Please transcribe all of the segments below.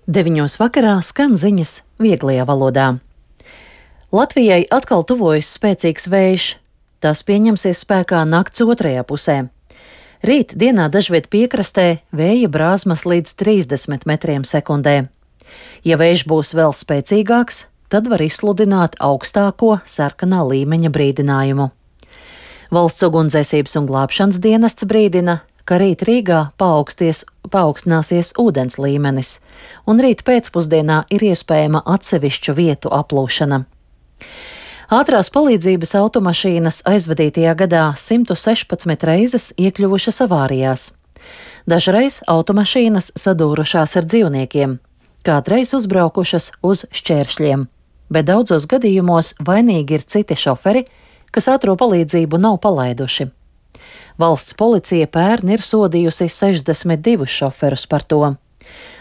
9 vakarā skan ziņas vieglajā valodā. Latvijai atkal tuvojas spēcīgs vējš. Tas pieņemsies spēkā nakts otrajā pusē. Rīt dienā dažviet piekrastē vēja brāzmas līdz 30 metriem sekundē. Ja vējš būs vēl spēcīgāks, tad var izsludināt augstāko sarkanā līmeņa brīdinājumu. Valsts ugunsdzēsības un glābšanas dienests brīdina, ka rīt Rīgā paaugstināsies ūdens līmenis, un rīt pēcpusdienā ir iespējama atsevišķu vietu aplūšana. Ātrās palīdzības automašīnas aizvadītajā gadā 116 reizes iekļuvušas avārijās. Dažreiz automašīnas sadūrušās ar dzīvniekiem, kādreiz uzbraukušas uz šķēršļiem, bet daudzos gadījumos vainīgi ir citi šoferi, kas ātro palīdzību nav palaiduši. Valsts policija pērn ir sodījusi 62 šoferus par to,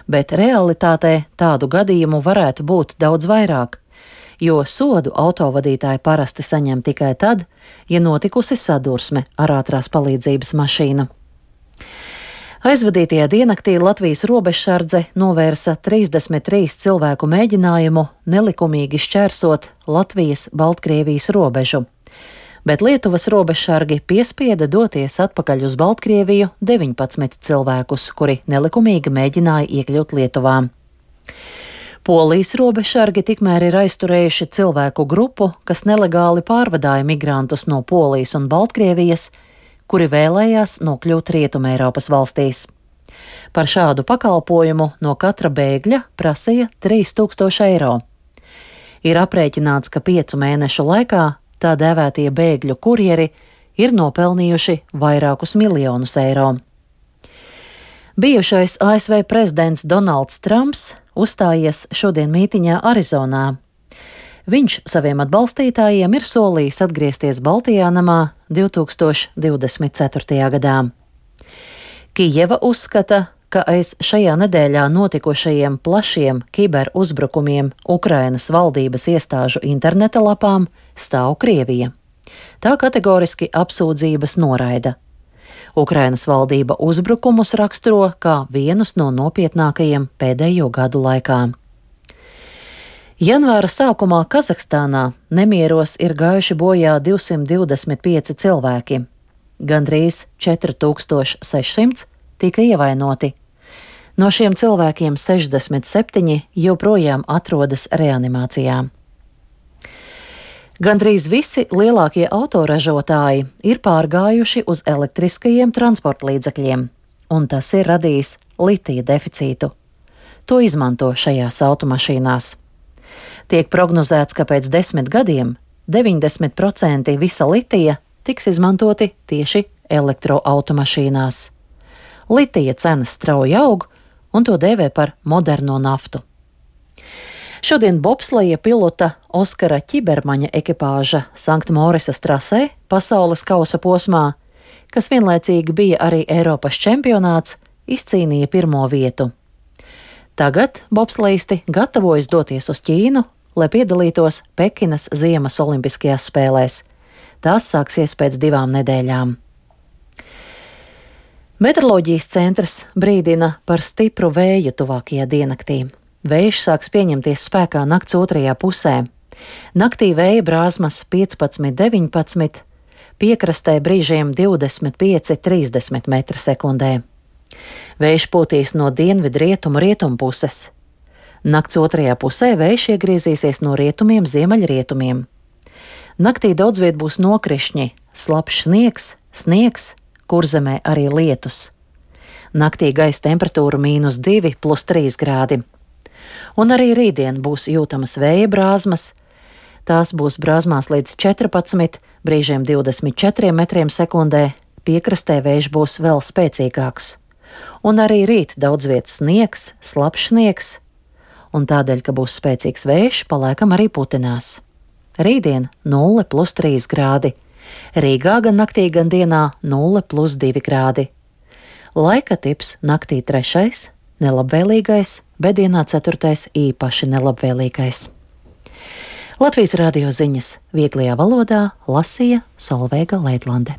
bet realitātē tādu gadījumu varētu būt daudz vairāk, jo sodu autovadītāji parasti saņem tikai tad, ja notikusi sadursme ar ātrās palīdzības mašīnu. Aizvadītajā diennaktī Latvijas robežsardze novērsa 33 cilvēku mēģinājumu nelikumīgi šķērsot Latvijas-Baltkrievijas robežu, bet Lietuvas robežsargi piespieda doties atpakaļ uz Baltkrieviju 19 cilvēkus, kuri nelikumīgi mēģināja iekļūt Lietuvā. Polijas robežsargi tikmēr ir aizturējuši cilvēku grupu, kas nelegāli pārvadāja migrantus no Polijas un Baltkrievijas, kuri vēlējās nokļūt Rietumeiropas valstīs. Par šādu pakalpojumu no katra bēgļa prasīja 3000 eiro. Ir aprēķināts, ka 5 mēnešu laikā tā dēvētie bēgļu kurjeri ir nopelnījuši vairākus miljonus eiro. Bijušais ASV prezidents Donalds Trumps uzstājies šodien mītiņā Arizonā. Viņš saviem atbalstītājiem ir solījis atgriezties Baltijā namā 2024. gadā. Kijeva uzskata, ka aiz šajā nedēļā notikušajiem plašiem kiberuzbrukumiem Ukrainas valdības iestāžu interneta lapām stāv Krievija. Tā kategoriski apsūdzības noraida. Ukrainas valdība uzbrukumus raksturo kā vienus no nopietnākajiem pēdējo gadu laikā. Janvāra sākumā Kazahstānā nemieros ir gājuši bojā 225 cilvēki. Gandrīz 4600 tika ievainoti. No šiem cilvēkiem 67 joprojām atrodas reanimācijā. Gandrīz visi lielākie autoražotāji ir pārgājuši uz elektriskajiem transportlīdzekļiem, un tas ir radījis litija deficītu. To izmanto šajās automašīnās. Tiek prognozēts, ka pēc 10 gadiem 90% visa litija tiks izmantoti tieši elektroautomašīnās. Litija cenas strauji aug, un to dēvē par moderno naftu. Šodien bobsleja pilota Oskara Ķibermaņa ekipāža Sanktmorisas trasē pasaules kausa posmā, kas vienlaicīgi bija arī Eiropas čempionāts, izcīnīja 1. vietu. Tagad bobsleisti gatavojas doties uz Ķīnu, lai piedalītos Pekinas ziemas olimpiskajās spēlēs. Tās sāksies pēc 2 nedēļām. Meteoroloģijas centrs brīdina par stipru vēju tuvākajā diennaktī. Vējš sāks pieņemties spēkā nakts otrajā pusē. Naktī vēja brāzmas 15–19, piekrastē brīžiem 25–30 metri sekundē. Vējš pūtīs no dienvidrietumu puses. Nakts otrajā pusē vējš iegriezīsies no rietumiem ziemeļrietumiem. Naktī daudzviet būs nokrišņi, slapjš sniegs, Kurzemē arī lietus. Naktī gaisa temperatūra -2 + 3 grādi. Un arī rītdien būs jūtamas vēja brāzmas. Tās būs brāzmās līdz 14, brīžiem 24 metriem sekundē, piekrastē vējš būs vēl spēcīgāks. Un arī rīt daudzviet sniegs, slapjš sniegs, un tādēļ, ka būs spēcīgs vējš, palēkam arī putinās. Rītdien 0 + 3 grādi. Rīgā gan naktī, gan dienā 0 + 2 grādi. Laika tips naktī 3. nelabvēlīgais, bet dienā 4. īpaši nelabvēlīgais. Latvijas radio ziņas vieglajā valodā lasīja Solveiga Leidlande.